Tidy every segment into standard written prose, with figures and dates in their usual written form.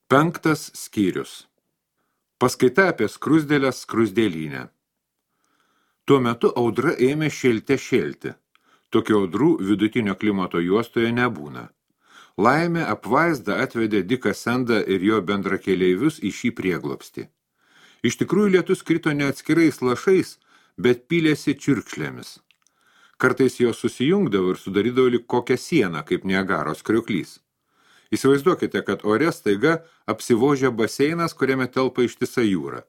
Penktas skyrius. Paskaita apie skruzdėlės skruzdėlynę. Tuo metu audra ėmė šėlti. Tokių audrų vidutinio klimato juostoje nebūna. Laimė apvaizda atvedė Diką Sendą ir jo bendrakeleivius į šį prieglobstį. Iš tikrųjų lietus krito ne atskirais lašais, bet pylėsi čiurkšlėmis. Kartais jos susijungdavo ir sudarydavo lyg kokią sieną, kaip Niagaros krioklys. Įsivaizduokite, kad ore staiga apsivožia baseinas, kuriame telpa ištisa jūra.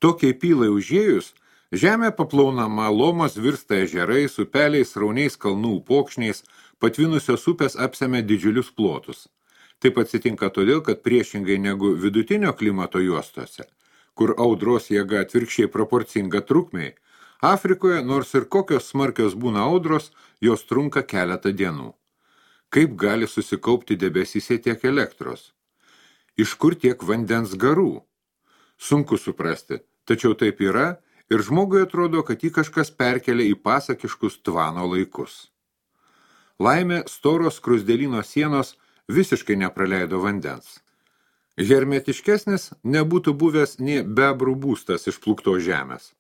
Tokiai pylai užėjus, žemė paplaunama, lomas virsta ežerais, upeliais, srauniais kalnų upokšniais, patvinusios upės apsemia didžiulius plotus. Taip atsitinka todėl, kad priešingai negu vidutinio klimato juostose, kur audros jėga atvirkščiai proporcinga trukmei, Afrikoje, nors ir kokios smarkios būna audros, jos trunka keletą dienų. Kaip gali susikaupti debesyse tiek elektros? Iš kur tiek vandens garų? Sunku suprasti, tačiau taip yra ir žmogui atrodo, kad jį kažkas perkelia į pasakiškus Tvano laikus. Laimė storos skruzdėlyno sienos visiškai nepraleido vandens. Hermetiškesnis nebūtų buvęs nei bebrų būstas iš plūktos žemės.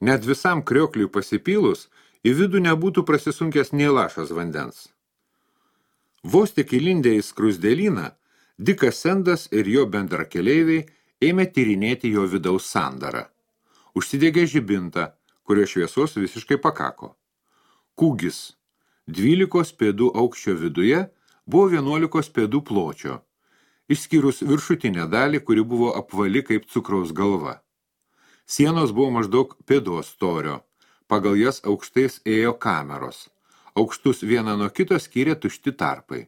Net visam kriokliui pasipylus, į vidų nebūtų prasisunkęs nei lašas vandens. Vos tik įlindę į skruzdėlyną, Dikas Sendas ir jo bendrakeleiviai ėmė tyrinėti jo vidaus sandarą. Užsidegė žibintą, kurio šviesos visiškai pakako. Kūgis 12 pėdų aukščio viduje buvo 11 pėdų pločio, išskyrus viršutinę dalį, kuri buvo apvali kaip cukraus galva. Sienos buvo maždaug pėdos storio, pagal jas aukštais ėjo kameros. Aukštus vieną nuo kito skyrė tušti tarpai.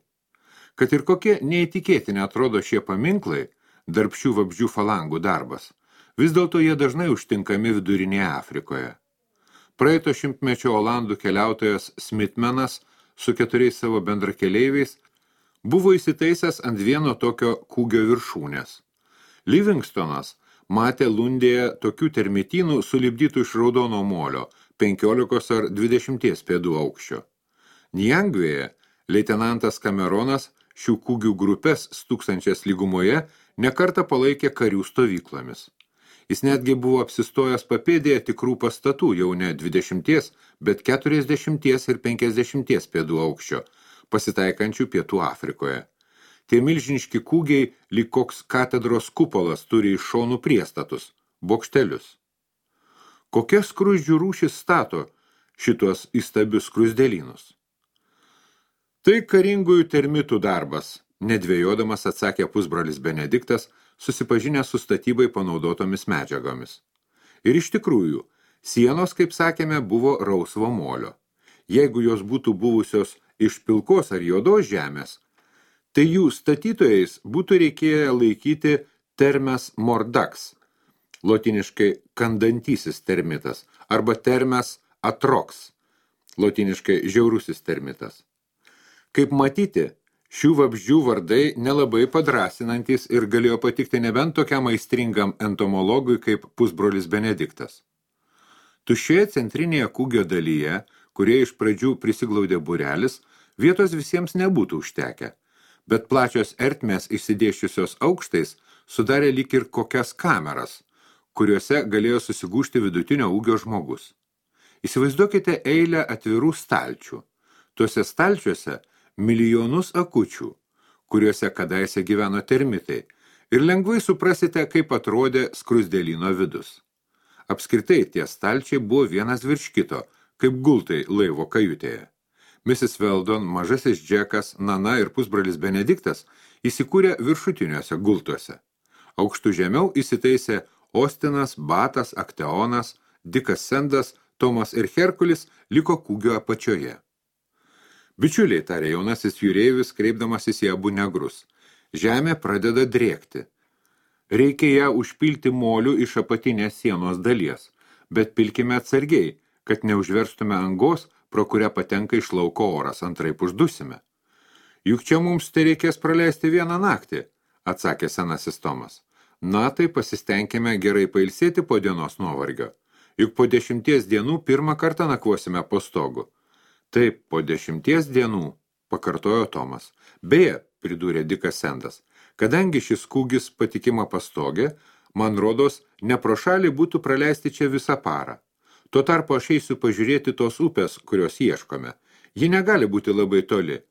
Kad ir kokie neįtikėtini atrodo šie paminklai, darbščių vabzdžių falangų darbas, vis dėlto jie dažnai užtinkami vidurinėje Afrikoje. Praeito šimtmečio olandų keliautojas Smithmanas su 4 savo bendrakeleiviais buvo įsitaisęs ant vieno tokio kūgio viršūnės. Livingstonas matė Lundėje tokių termitynų sulipdytų iš raudono molio 15 ar 20 pėdų aukščio. Njangvėje leitenantas Kameronas šių kūgių grupės stūksančias lygumoje nekartą palaikė karių stovyklomis. Jis netgi buvo apsistojęs papėdėje tikrų pastatų jau ne 20, bet 40 ir 50 pėdų aukščio, pasitaikančių Pietų Afrikoje. Tie milžiniški kūgiai lyg koks katedros kupolas turi iš šonų priestatus, bokštelius. Kokia skruzdžių rūšis stato šitos įstabius skruzdėlynus? Tai karingųjų termitų darbas, nedvėjodamas atsakė pusbrolis Benediktas, susipažinęs su statybai panaudotomis medžiagomis. Ir iš tikrųjų, sienos, kaip sakėme, buvo rausvo molio. Jeigu jos būtų buvusios iš pilkos ar juodos žemės, tai jų statytojais būtų reikėję laikyti termes mordax, lotiniškai kandantysis termitas, arba termes atrox, lotiniškai žiaurusis termitas. Kaip matyti, šių vabzdžių vardai nelabai padrasinantys ir galėjo patikti nebent tokiam aistringam entomologui kaip pusbrolis Benediktas. Tuščioje centrinėje kūgio dalyje, kurie iš pradžių prisiglaudė būrelis, vietos visiems nebūtų užtekę, bet plačios ertmės išsidėščiusios aukštais sudarė lyg ir kokias kameras, kuriuose galėjo susigūžti vidutinio ūgio žmogus. Įsivaizduokite eilę atvirų stalčių. Tuose stalčiuose milijonus akučių, kuriuose kadaise gyveno termitai, ir lengvai suprasite, kaip atrodė skruzdėlyno vidus. Apskritai tie stalčiai buvo vienas virš kito, kaip gultai laivo kajutėje. Mrs. Weldon, mažasis Džekas, Nana ir pusbrolis Benediktas įsikūrė viršutiniuose gultuose. Aukštų žemiau įsitaisė Ostinas, Batas, Akteonas, Dikas Sendas, Tomas ir Herkulis liko kūgio apačioje. Bičiuliai, tarė jaunasis jūreivis, kreipdamasis į abu negrus. Žemė pradeda drėkti. Reikia ją užpilti moliu iš apatinės sienos dalies, bet pilkime atsargiai, kad neužverstume angos, pro kurią patenka iš lauko oras, antraip uždusime. Juk čia mums tai reikės praleisti vieną naktį, atsakė senasis Tomas. Na, tai pasistengime gerai pailsėti po dienos nuovargio. Juk po 10 dienų pirmą kartą nakvosime po stogu. Taip, po 10 dienų, pakartojo Tomas. Beje, pridūrė Dikas Sendas. Kadangi šis kūgis patikima pastogė, man rodos, ne pro šalį būtų praleisti čia visą parą. Tuo tarpu aš eisiu pažiūrėti tos upės, kurios ieškome. Ji negali būti labai toli.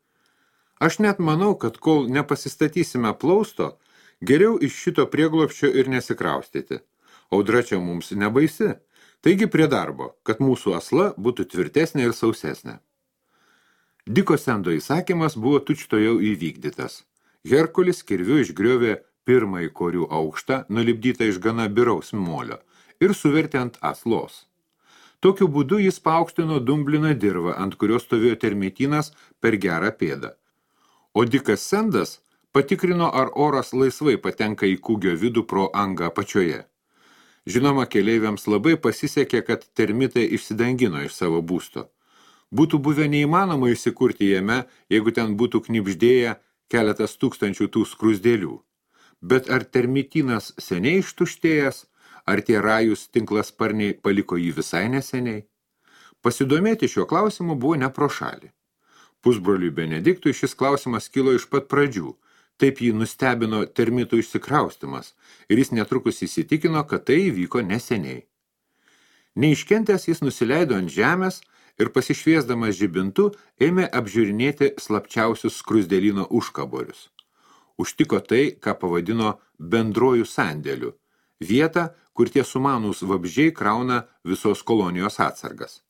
Aš net manau, kad kol nepasistatysime plausto, geriau iš šito prieglobsčio ir nesikraustyti. Audra čia mums nebaisi. Taigi prie darbo, kad mūsų asla būtų tvirtesnė ir sausesnė. Diko Sendo įsakymas buvo tučtuojau įvykdytas. Herkulis kirviu išgriovė pirmąjį korių aukštą, nulipdytą iš gana biraus molio, ir suvertė ant aslos. Tokiu būdu jis paaukštino dumbliną dirvą, ant kurios stovėjo termitinas per gerą pėdą. O Dikas Sendas patikrino, ar oras laisvai patenka į kūgio vidų pro angą apačioje. Žinoma, keleiviams labai pasisekė, kad termitai išsidangino iš savo būsto. Būtų buvę neįmanoma įsikurti jame, jeigu ten būtų knibždėję keletas tūkstančių tų skrusdėlių. Bet ar termitinas seniai ištuštėjęs, ar tie rajus tinklasparniai paliko jį visai neseniai? Pasidomėti šiuo klausimu buvo ne pro šalį. Pusbroliui Benediktui šis klausimas kilo iš pat pradžių. Taip jį nustebino termitų išsikraustimas ir jis netrukus įsitikino, kad tai įvyko neseniai. Neiškentęs jis nusileido ant žemės ir pasišviesdamas žibintu ėmė apžiūrinėti slapčiausius skrusdėlyno užkaborius. Užtiko tai, ką pavadino bendruoju sandėliu, vietą, kur tie sumanūs vabzdžiai krauna visos kolonijos atsargas.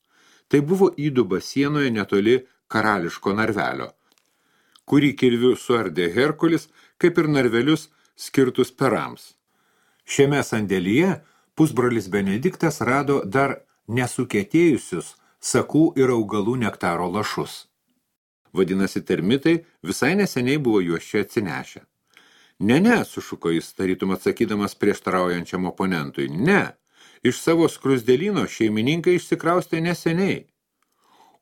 Tai buvo įduba sienoje netoli karališko narvelio, kurį kirviu suardė Herkulis, kaip ir narvelius skirtus perams. Šiame sandėlyje pusbrolis Benediktas rado dar nesukėtėjusius sakų ir augalų nektaro lašus. Vadinasi, termitai visai neseniai buvo juos čia atsinešę. Ne, sušuko jis, tarytum atsakydamas prieštaraujančiam oponentui. Ne, iš savo skrusdėlyno šeimininkai išsikraustė neseniai.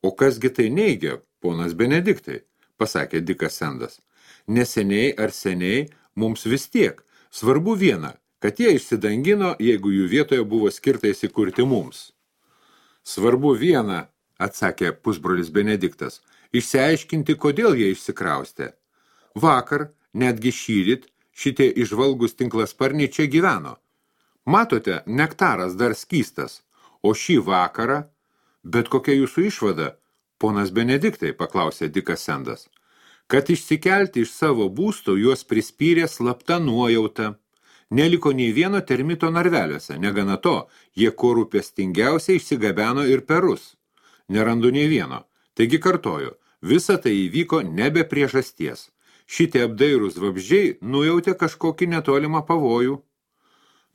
O kasgi tai neigia, ponas Benediktai, pasakė Dikas Sendas. Neseniai ar seniai mums vis tiek. Svarbu viena, kad jie išsidangino, jeigu jų vietoje buvo skirta įsikurti mums. Svarbu viena, atsakė pusbrolis Benediktas, išsiaiškinti, kodėl jie išsikraustė. Vakar, netgi šįryt, šitie išvalgus tinklasparniai čia gyveno. Matote, nektaras dar skystas, o šį vakarą, bet kokia jūsų išvada, ponas Benediktai, paklausė Dikas Sendas, kad išsikelti iš savo būsto juos prispyrė slapta nuojauta. Neliko nei vieno termito narveliuose, negana to, jie kuo rūpestingiausiai išsigabeno ir perus. Nerandu nei vieno. Taigi kartoju, visa tai įvyko nebe priežasties. Šitie apdairūs vabzdžiai nujautė kažkokį netolimą pavojų.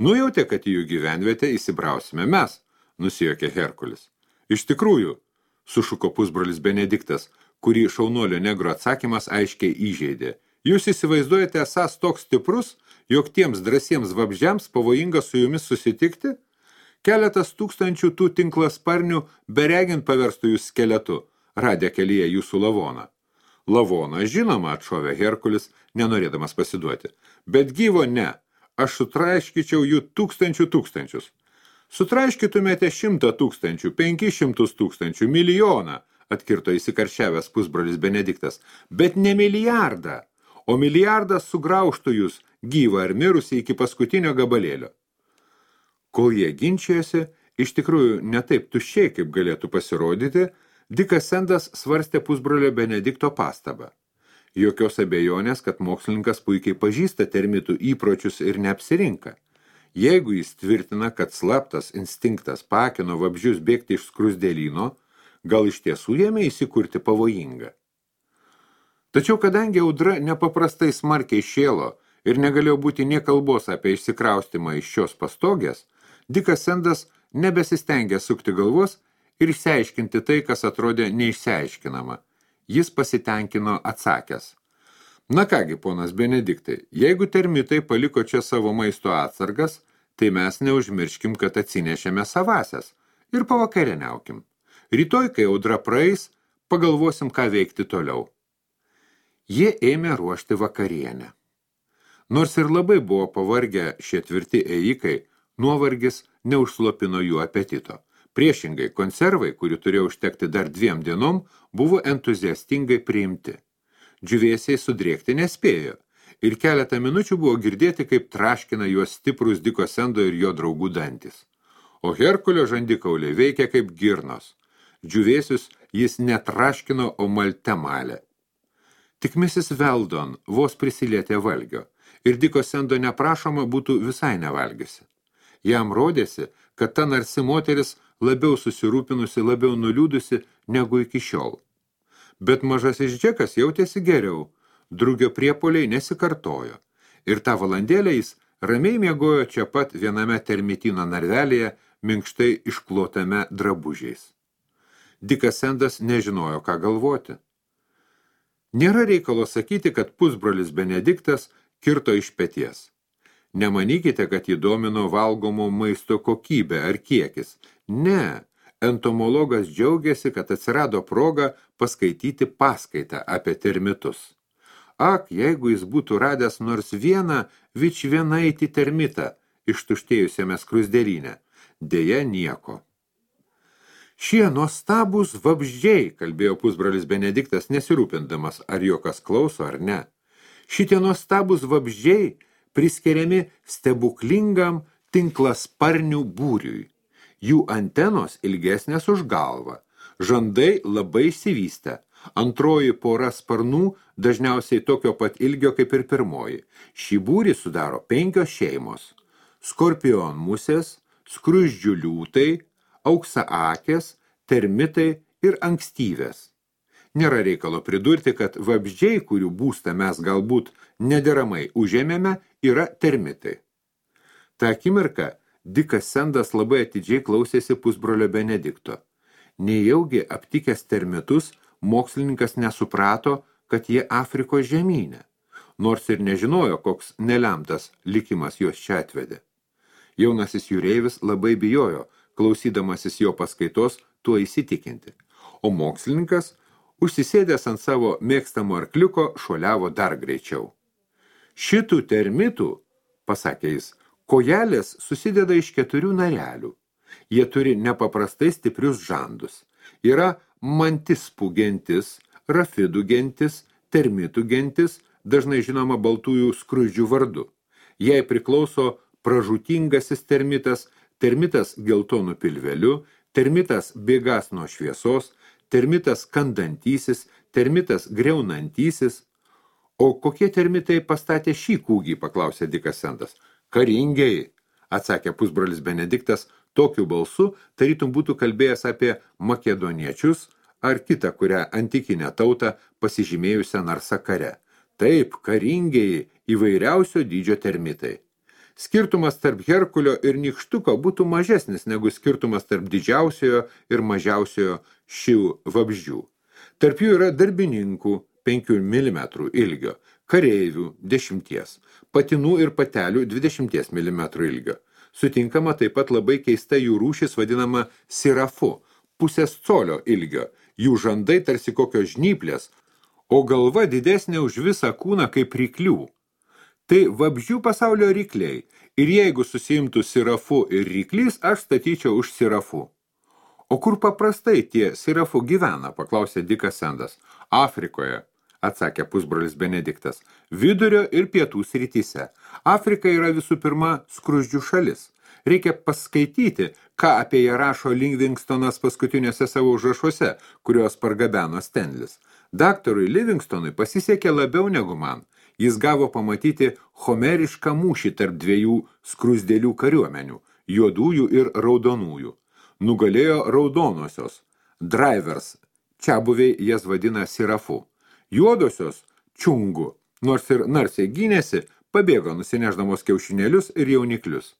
Nujautė, kad į jų gyvenvietę įsibrausime mes, nusijuokė Herkulis. Iš tikrųjų, sušuko pusbrolis Benediktas, kurį šaunuolio negro atsakymas aiškiai įžeidė. Jūs įsivaizduojate esąs toks stiprus, jog tiems drąsiems vabzdžiams pavojinga su jumis susitikti? Keletas tūkstančių tų tinklasparnių beregint paverstų jūs skeletu, radę kelyje jūsų lavoną. Lavoną, žinoma, atšovė Herkulis, nenorėdamas pasiduoti. Bet gyvo ne, aš sutraiškyčiau jų tūkstančius. Sutraiškytumėte 100 000, 500 000, milijoną, atkirto įsikaršiavęs pusbrolis Benediktas, bet ne milijardą, o milijardas sugraužtų jūs, gyvą ar mirusį iki paskutinio gabalėlio. Kol jie ginčijosi, iš tikrųjų ne taip tuščiai, kaip galėtų pasirodyti, Dikas Sendas svarstė pusbrolio Benedikto pastabą. Jokios abejonės, kad mokslininkas puikiai pažįsta termitų įpročius ir neapsirinka. Jeigu jis tvirtina, kad slaptas instinktas pakino vabzdžius bėgti iš skrusdėlyno, gal iš tiesų jame įsikurti pavojinga. Tačiau kadangi audra nepaprastai smarkiai šėlo ir negalėjo būti nė kalbos apie išsikraustimą iš šios pastogės, Dikas Sendas nebesistengė sukti galvos ir išsiaiškinti tai, kas atrodė neišsiaiškinama. Jis pasitenkino atsakęs. Na kągi, ponas Benediktai, jeigu termitai paliko čia savo maisto atsargas, tai mes neužmirškim, kad atsinešėme savasias ir pavakarieniaukim. Rytoj, kai audra praeis, pagalvosim, ką veikti toliau. Jie ėmė ruošti vakarienę. Nors ir labai buvo pavargę šie tvirti ėjikai, nuovargis neužslopino jų apetito. Priešingai, konservai, kurių turėjo užtekti dar 2 dienom, buvo entuziastingai priimti. Džiūvėsiai sudrėkti nespėjo, ir keletą minučių buvo girdėti, kaip traškina juos stiprus Diko Sendo ir jo draugų dantis. O Herkulio žandikauliai veikia kaip girnos. Džiūvėsius jis netraškino, o malte malė. Tik Mrs. Weldon vos prisilietė valgio, ir Diko Sendo neprašoma būtų visai nevalgiusi. Jam rodėsi, kad ta narsi moteris labiau susirūpinusi, labiau nuliūdusi negu iki šiol. Bet mažasis Džekas jautėsi geriau, drugio priepuoliai nesikartojo, ir tą valandėlę jis ramiai miegojo čia pat viename termitino narvelėje, minkštai išklotame drabužiais. Dikas Sendas nežinojo, ką galvoti. Nėra reikalo sakyti, kad pusbrolis Benediktas kirto iš peties. Nemanykite, kad jį domino valgomo maisto kokybė ar kiekis. Ne, entomologas džiaugiasi, kad atsirado proga paskaityti paskaitą apie termitus. Ak, jeigu jis būtų radęs nors vieną vičvienaitį termitą ištuštėjusiame skruzdėlyne, deja nieko. Šie nuostabūs vabzdžiai, kalbėjo pusbrolis Benediktas, nesirūpindamas, ar jo kas klauso ar ne. Šitie nuostabūs vabzdžiai priskiriami stebuklingam tinklasparnių būriui. Jų antenos ilgesnės už galvą, žandai labai išsivystę, antroji pora sparnų dažniausiai tokio pat ilgio kaip ir pirmoji. Šį būrį sudaro 5 šeimos – skorpionmusės, skruzdžių liūtai, auksaakės, termitai ir ankstyvės. Nėra reikalo pridurti, kad vabzdžiai, kurių būstą mes galbūt nederamai užėmėme, yra termitai. Ta akimirka Dikas Sendas labai atidžiai klausėsi pusbrolio Benedikto. Nejaugi aptikęs termitus, mokslininkas nesuprato, kad jie Afrikos žemyne, nors ir nežinojo, koks nelemtas likimas juos čia atvedė. Jaunasis jūreivis labai bijojo, klausydamasis jo paskaitos, tuo įsitikinti, o mokslininkas, užsisėdęs ant savo mėgstamo arkliuko, šuoliavo dar greičiau. Šitų termitų, pasakė jis, kojelės susideda iš 4 narelių. Jie turi nepaprastai stiprius žandus. Yra mantispų gentis, rafidų gentis, termitų gentis, dažnai žinoma baltųjų skruzdžių vardu. Jai priklauso pražūtingasis termitas, termitas geltonų pilveliu, termitas bėgas nuo šviesos, termitas kandantysis, termitas greunantysis. O kokie termitai pastatė šį kūgį, paklausė Dikas Sendas. Karingiai, atsakė pusbrolis Benediktas, tokiu balsu tarytum būtų kalbėjęs apie makedoniečius ar kitą, kurią antikinę tautą pasižymėjusią narsa kare. Taip, karingiai, įvairiausio dydžio termitai. Skirtumas tarp Herkulio ir Nykštuko būtų mažesnis negu skirtumas tarp didžiausiojo ir mažiausiojo šių vabzdžių. Tarp jų yra darbininkų 5 mm ilgio, kareivių 10, patinų ir patelių 20 mm ilgio. Sutinkama taip pat labai keista jų rūšis vadinama sirafu, pusės colio ilgio, jų žandai tarsi kokios žnyplės, o galva didesnė už visą kūną kaip ryklių. Tai vabzdžių pasaulio rykliai, ir jeigu susiimtų sirafu ir ryklys, aš statyčiau už sirafu. O kur paprastai tie sirafu gyvena, paklausė Dikas Sendas. Afrikoje, atsakė pusbrolis Benediktas, vidurio ir pietų srityse. Afrika yra visų pirma skruzdžių šalis. Reikia paskaityti, ką apie ją rašo Livingstonas paskutiniuose savo užrašuose, kuriuos pargabeno Stenlis. Daktarui Livingstonui pasisekė labiau negu man. Jis gavo pamatyti homerišką mūšį tarp 2 skruzdėlių kariuomenių, juodųjų ir raudonųjų. Nugalėjo raudonosios, drivers, čiabuviai jas vadina sirafu. Juodosios, čungu, nors ir narsiai gynėsi, pabėgo nusineždamos kiaušinėlius ir jauniklius.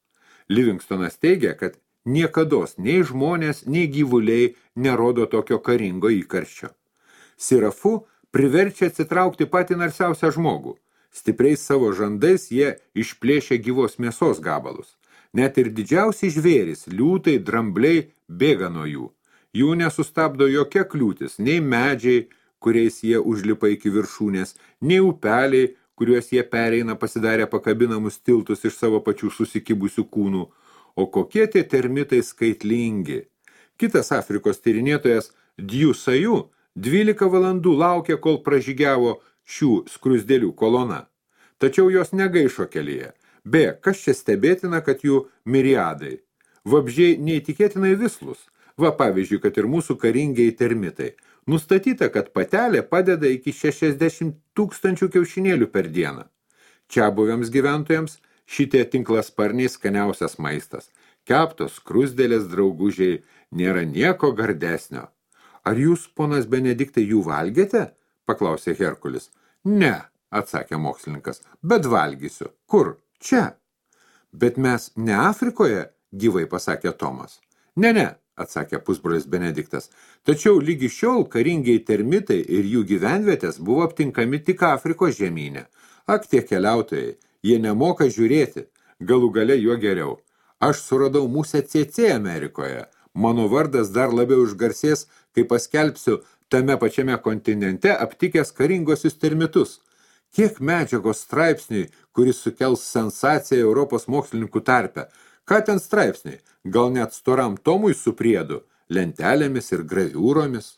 Livingstonas teigia, kad niekados nei žmonės, nei gyvuliai nerodo tokio karingo įkarščio. Sirafu priverčia atsitraukti patį narsiausią žmogų. Stipriais savo žandais jie išplėšia gyvos mėsos gabalus. Net ir didžiausi žvėrys, liūtai, drambliai bėga nuo jų. Jų nesustabdo jokia kliūtis, nei medžiai, kuriais jie užlipa iki viršūnės, nei upeliai, kuriuos jie pereina pasidarę pakabinamus tiltus iš savo pačių susikibusių kūnų. O kokie tie termitai skaitlingi. Kitas Afrikos tyrinėtojas Djusaju 12 valandų laukė, kol pražygiavo šių skrusdėlių kolona. Tačiau jos negaišo kelyje. Beje, kas čia stebėtina, kad jų miriadai. Vabzdžiai neįtikėtinai vislus. Va, pavyzdžiui, kad ir mūsų karingiai termitai. Nustatyta, kad patelė padeda iki 60 000 kiaušinėlių per dieną. Čiabuviams gyventojams šitie tinklasparniai skaniausias maistas. Keptos skrusdėlės draugužiai nėra nieko gardesnio. Ar jūs, ponas Benediktai, jų valgėte? Paklausė Herkulis. Ne, atsakė mokslininkas, bet valgysiu. Kur? Čia. Bet mes ne Afrikoje, gyvai pasakė Tomas. Ne, atsakė pusbrolis Benediktas. Tačiau lygi šiol karingiai termitai ir jų gyvenvietės buvo aptinkami tik Afrikos žemyne. Ak, tie keliautojai, jie nemoka žiūrėti, galų gale juo geriau. Aš suradau musę CC Amerikoje. Mano vardas dar labiau išgarsės, kai paskelbsiu tame pačiame kontinente aptikęs karingosius termitus. Kiek medžiagos straipsniai, kuris sukels sensaciją Europos mokslininkų tarpe. Ką ten straipsniai? Gal net storam tomui su priedu, lentelėmis ir graviūromis?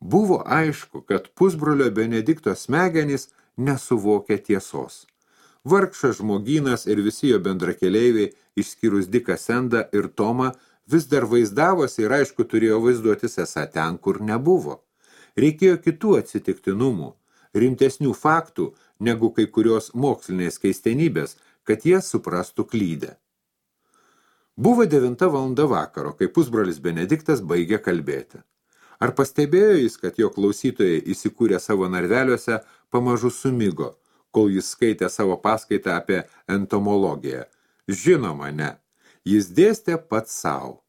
Buvo aišku, kad pusbrolio Benedikto smegenys nesuvokia tiesos. Vargšas žmogynas ir visi jo bendrakeleiviai, išskyrus Diką Sendą ir Tomą, vis dar vaizdavosi ir aišku turėjo vaizduotis esą ten, kur nebuvo. Reikėjo kitų atsitiktinumų, rimtesnių faktų, negu kai kurios mokslinės keistenybės, kad jie suprastų klydę. Buvo 9 valanda vakaro, kai pusbrolis Benediktas baigė kalbėti. Ar pastebėjo jis, kad jo klausytojai įsikūrė savo narveliuose pamažu sumigo, kol jis skaitė savo paskaitą apie entomologiją? Žinoma, ne. Jis dėstė pats savo.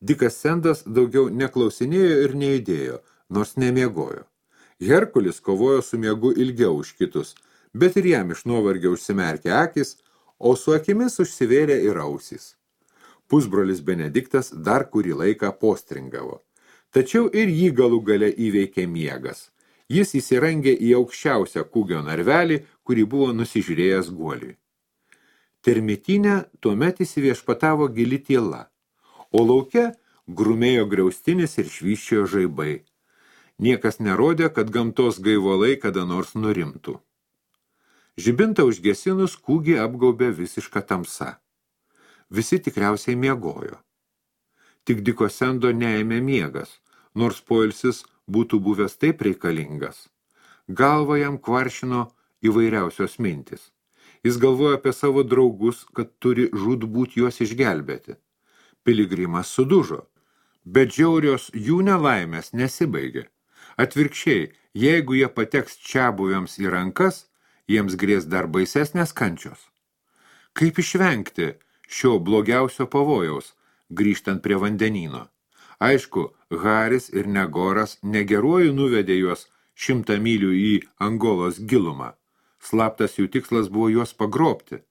Dikas Sendas daugiau neklausinėjo ir neįdėjo, nors nemiegojo. Herkulis kovojo su miegu ilgiau už kitus, bet ir jam iš nuovargio užsimerkė akis, o su akimis užsivėrė ir ausys. Pusbrolis Benediktas dar kurį laiką postringavo. Tačiau ir jį galų gale įveikė miegas. Jis įsirangė į aukščiausią kūgio narvelį, kurį buvo nusižiūrėjęs guoliui. Termitinė tuomet įsiviešpatavo gili tyla, o lauke grumėjo griaustinis ir švyščiojo žaibai. Niekas nerodė, kad gamtos gaivolai kada nors nurimtų. Žibintą užgesinus kūgį apgaubė visiška tamsa. Visi tikriausiai miegojo. Tik Diko Sendo neėmė miegas, nors poilsis būtų buvęs taip reikalingas. Galvą jam kvaršino įvairiausios mintis. Jis galvojo apie savo draugus, kad turi žūtbūt juos išgelbėti. Piligrimas sudužo, bet žiaurios jų nelaimės nesibaigė. Atvirkščiai, jeigu jie pateks čiabuviams į rankas, jiems grės dar baisesnės kančios. Kaip išvengti šio blogiausio pavojaus, grįžtant prie vandenyno? Aišku, Haris ir Negoras negeruoju nuvedė juos 100 mylių į Angolos gilumą. Slaptas jų tikslas buvo juos pagrobti.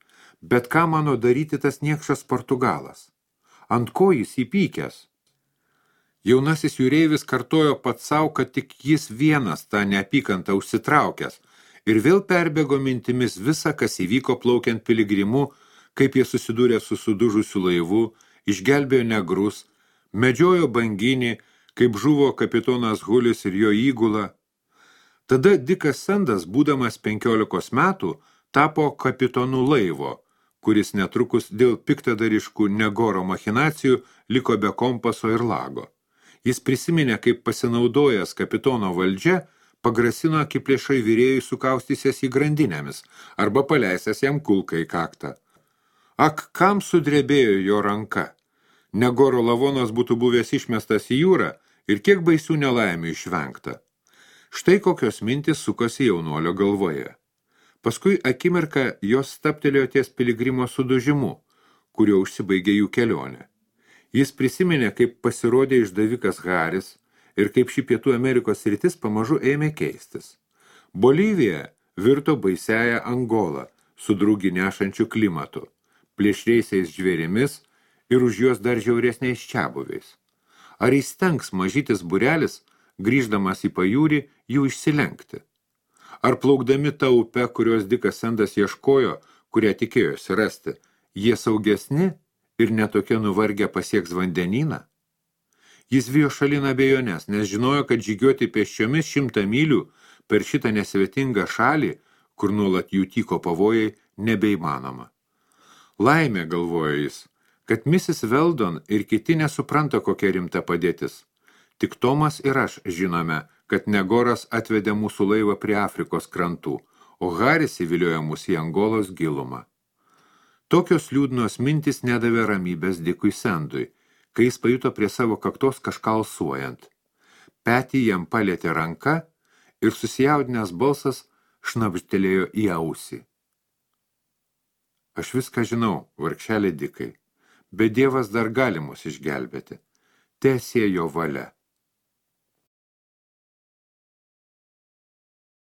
Bet ką mano daryti tas niekšas Portugalas? Ant ko jis įpykęs? Jaunasis jūreivis kartojo pats savo, kad tik jis vienas tą neapykantą užsitraukęs ir vėl perbėgo mintimis visą, kas įvyko plaukiant piligrimu, kaip jie susidūrė su sudužusiu laivu, išgelbėjo negrus, medžiojo banginį, kaip žuvo kapitonas Hulis ir jo įgula. Tada Dikas Sendas, būdamas 15 metų, tapo kapitonu laivo, kuris netrukus dėl piktadariškų Negoro machinacijų liko be kompaso ir lago. Jis prisiminė, kaip pasinaudojęs kapitono valdžia, pagrasino akiplėšai vyrėjui sukaustysės į grandinėmis arba paleisęs jam kulką į kaktą. Ak, kam sudrebėjo jo ranka? Negoro lavonas būtų buvęs išmestas į jūrą ir kiek baisių nelaimių išvengta. Štai kokios mintis sukosi jaunuolio galvoje. Paskui akimirką jos staptelėjo ties piligrimo sudužimu, kurio užsibaigė jų kelionė. Jis prisiminė, kaip pasirodė išdavikas Haris ir kaip ši Pietų Amerikos sritis pamažu ėmė keistis. Bolivija virto baisiąją Angolą su drugį nešančiu klimatu, plėšriaisiais žvėrimis ir už juos dar žiauresniais čiabuviais. Ar įstengs mažytis būrelis, grįždamas į pajūrį, jų išsilenkti? Ar plaukdami tą upę, kurios Dikas Sendas ieškojo, kurią tikėjosi rasti, jie saugesni ir netokie nuvargę pasieks vandenyną? Jis vijo šalin abejonės, nes žinojo, kad žygiuoti pėsčiomis 100 mylių per šitą nesvetingą šalį, kur nuolat jų tyko pavojai, nebeįmanoma. Laimė, galvojo jis, kad Mrs. Weldon ir kiti nesupranta, kokia rimta padėtis. Tik Tomas ir aš žinome, kad Negoras atvedė mūsų laivą prie Afrikos krantų, o Haris įviliojo mus į Angolos gilumą. Tokios liūdnos mintis nedavė ramybės Dikui Sendui, kai jis pajuto prie savo kaktos kažką alsuojant. Petį jam palietė ranka ir susijaudinęs balsas šnabžtelėjo į ausį. Aš viską žinau, vargšelė Dikai, bet Dievas dar gali mus išgelbėti. Teesie jo valia.